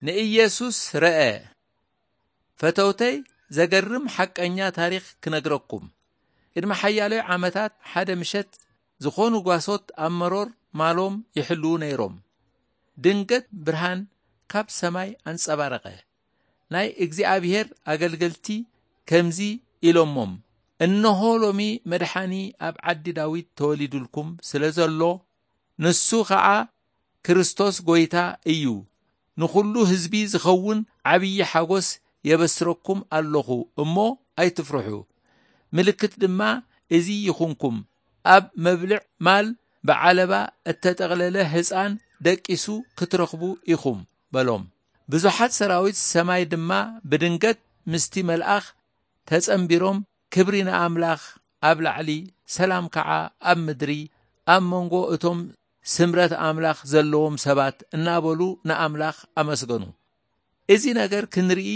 ንኢየሱስ ረአ። ፈተውተይ፣ ዘገርም ሓቀኛ ታሪኽ ክነግረኩም። ቅድሚ ሓያሎይ ዓመታት ሓደ ምሸት ዝኾኑ ጓሶት ኣብ መሮር ማሎም ይሕልዉ ነይሮም። ድንገት ብርሃን ካብ ሰማይ ኣንጸባረቐ። ናይ እግዚኣብሔር ኣገልገልቲ ከምዚ ኢሎሞም፣ "እንሆ ሎሚ መድሓኒ ኣብ ዓዲ ዳዊት ተወሊዱልኩም ስለ ዘሎ፣ ንሱ ኸዓ ክርስቶስ ጐይታ እዩ። ንኹሉ ህዝቢ ዝኸውን ዓብዪ ሓጎስ የበስረኩም ኣለኹ እሞ ኣይትፍርሑ። ምልክት ድማ እዚ ይኹንኩም፣ ኣብ መብልዕ ማል ብዓለባ እተጠቕለለ ህፃን ደቂሱ ክትረኽቡ ኢኹም" በሎም። ብዙሓት ሰራዊት ሰማይ ድማ ብድንገት ምስቲ መልኣኽ ተጸንቢሮም፣ "ክብሪ ንኣምላኽ ኣብ ላዕሊ፣ ሰላም ከዓ ኣብ ምድሪ፣ ኣብ መንጎ እቶም ስምረት ኣምላኽ ዘለዎም ሰባት" እናበሉ ንኣምላኽ ኣመስገኑ። "እዚ ነገር ክንርኢ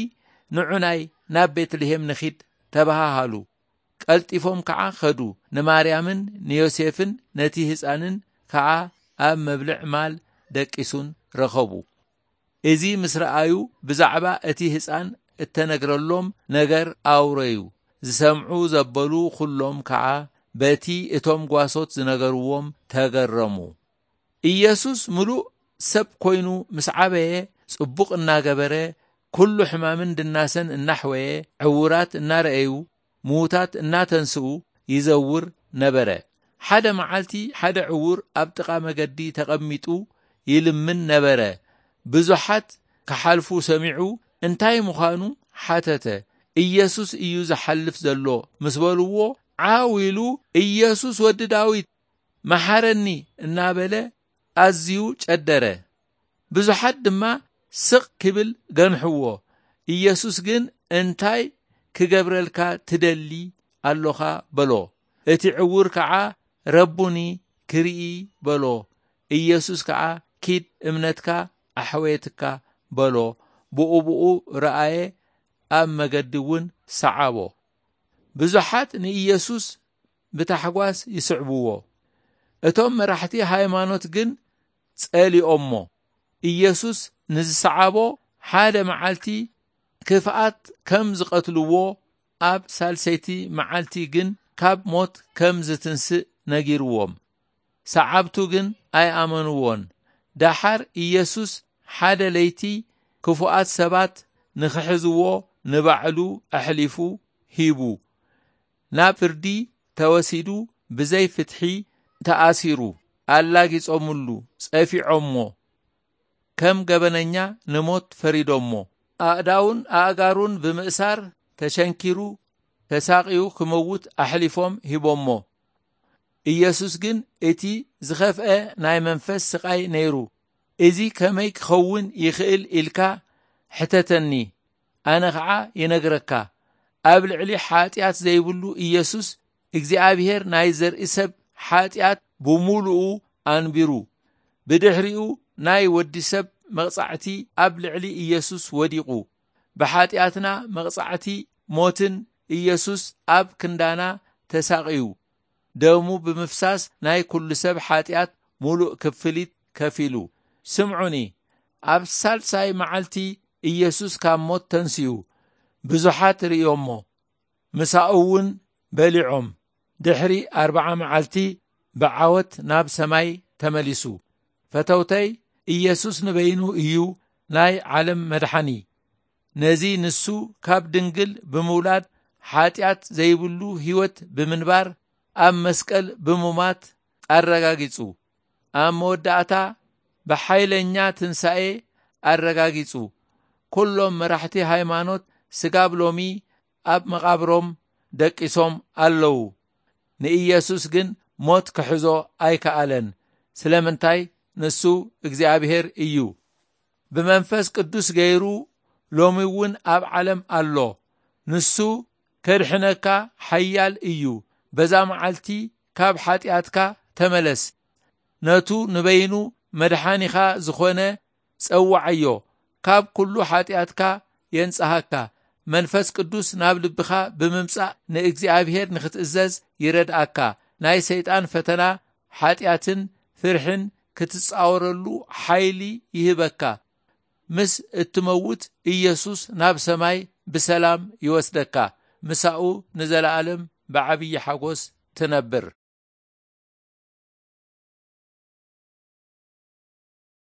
ንዑናይ ናብ ቤትልሔም ንኺድ" ተባሃሃሉ። ቀልጢፎም ከዓ ኸዱ። ንማርያምን ንዮሴፍን ነቲ ህፃንን ከዓ ኣብ መብልዕ ማል ደቂሱን ረኸቡ። እዚ ምስ ረኣዩ፣ ብዛዕባ እቲ ህፃን እተነግረሎም ነገር ኣውረዩ። ዝሰምዑ ዘበሉ ኹሎም ከዓ በቲ እቶም ጓሶት ዝነገርዎም ተገረሙ። ኢየሱስ ምሉእ ሰብ ኮይኑ ምስ ዓበየ፣ ጽቡቕ እናገበረ፣ ኩሉ ሕማምን ድናሰን እናሕወየ፣ ዕውራት እናረኣዩ፣ ምዉታት እናተንስኡ ይዘውር ነበረ። ሓደ መዓልቲ ሓደ ዕዉር ኣብ ጥቓ መገዲ ተቐሚጡ ይልምን ነበረ። ብዙሓት ክሓልፉ ሰሚዑ እንታይ ምዃኑ ሓተተ። "ኢየሱስ እዩ ዝሓልፍ ዘሎ" ምስ በልዎ፣ ዓው ኢሉ፣ "ኢየሱስ ወዲ ዳዊት፣ መሓረኒ" እናበለ ኣዝዩ ጨደረ። ብዙሓት ድማ ስቕ ክብል ገንሕዎ። ኢየሱስ ግን፣ "እንታይ ክገብረልካ ትደሊ ኣሎኻ?" በሎ። እቲ ዕዉር ከዓ፣ "ረቡኒ፣ ክርኢ" በሎ። ኢየሱስ ከዓ፣ "ኪድ፣ እምነትካ ኣሕወየትካ" በሎ። ብኡ ብኡ ረኣየ፣ ኣብ መገዲ እውን ሰዓቦ። ብዙሓት ንኢየሱስ ብታሕጓስ ይስዕብዎ። እቶም መራሕቲ ሃይማኖት ግን ጸሊኦሞ። ኢየሱስ ንዝሰዓቦ ሓደ መዓልቲ ክፍኣት ከም ዝቐትልዎ፣ ኣብ ሳልሰይቲ መዓልቲ ግን ካብ ሞት ከም ዝትንስእ ነጊርዎም። ሰዓብቱ ግን ኣይኣመንዎን። ደሓር ኢየሱስ ሓደ ለይቲ ክፉኣት ሰባት ንኽሕዝዎ ንባዕሉ ኣሕሊፉ ሂቡ። ናብ ፍርዲ ተወሲዱ፣ ብዘይ ፍትሒ ተኣሲሩ፣ ኣላጊጾምሉ፣ ጸፊዖሞ፣ ከም ገበነኛ ንሞት ፈሪዶሞ። ኣእዳውን ኣእጋሩን ብምእሳር ተሸንኪሩ፣ ተሳቕዩ ክመውት ኣሕሊፎም ሂቦሞ። ኢየሱስ ግን እቲ ዝኸፍአ ናይ መንፈስ ስቓይ ነይሩ። "እዚ ከመይ ክኸውን ይኽእል ኢልካ ሕተተኒ፣ ኣነ ኸዓ ይነግረካ። ኣብ ልዕሊ ሓጢኣት ዘይብሉ ኢየሱስ እግዚኣብሔር ናይ ዘርኢ ሰብ ሓጢኣት ብምሉኡ ኣንቢሩ። ብድሕሪኡ ናይ ወዲ ሰብ መቕጻዕቲ ኣብ ልዕሊ ኢየሱስ ወዲቑ። ብሓጢኣትና መቕጻዕቲ ሞትን ኢየሱስ ኣብ ክንዳና ተሳቕዩ። ደሙ ብምፍሳስ ናይ ኩሉ ሰብ ሓጢኣት ሙሉእ ክፍሊት ከፊሉ። ስምዑኒ፣ ኣብ ሳልሳይ መዓልቲ ኢየሱስ ካብ ሞት ተንስኡ። ብዙሓት ርእዮሞ፣ ምሳኡ እውን በሊዖም። ድሕሪ ኣርብዓ መዓልቲ ብዓወት ናብ ሰማይ ተመሊሱ። ፈተውተይ፣ ኢየሱስ ንበይኑ እዩ ናይ ዓለም መድሓኒ። ነዚ ንሱ ካብ ድንግል ብምውላድ፣ ሓጢኣት ዘይብሉ ህይወት ብምንባር፣ ኣብ መስቀል ብሙማት ኣረጋጊጹ። ኣብ መወዳእታ ብሓይለኛ ትንሳኤ ኣረጋጊጹ። ኩሎም መራሕቲ ሃይማኖት ስጋብ ሎሚ ኣብ መቓብሮም ደቂሶም ኣለዉ። ንኢየሱስ ግን ሞት ክሕዞ ኣይከኣለን። ስለምንታይ? ንሱ እግዚኣብሔር እዩ። ብመንፈስ ቅዱስ ገይሩ ሎሚ እውን ኣብ ዓለም ኣሎ። ንሱ ከድሕነካ ሓያል እዩ። በዛ መዓልቲ ካብ ሓጢኣትካ ተመለስ። ነቱ ንበይኑ መድሓኒኻ ዝኾነ ጸውዓዮ። ካብ ኩሉ ሓጢኣትካ የንጽሃካ። መንፈስ ቅዱስ ናብ ልብኻ ብምምጻእ ንእግዚኣብሔር ንኽትእዘዝ ይረድኣካ። ናይ ሰይጣን ፈተና፣ ሓጢኣትን ፍርሕን ክትጻወረሉ ሓይሊ ይህበካ። ምስ እትመውት፣ ኢየሱስ ናብ ሰማይ ብሰላም ይወስደካ። ምሳኡ ንዘለኣለም ብዓብዪ ሓጎስ ትነብር።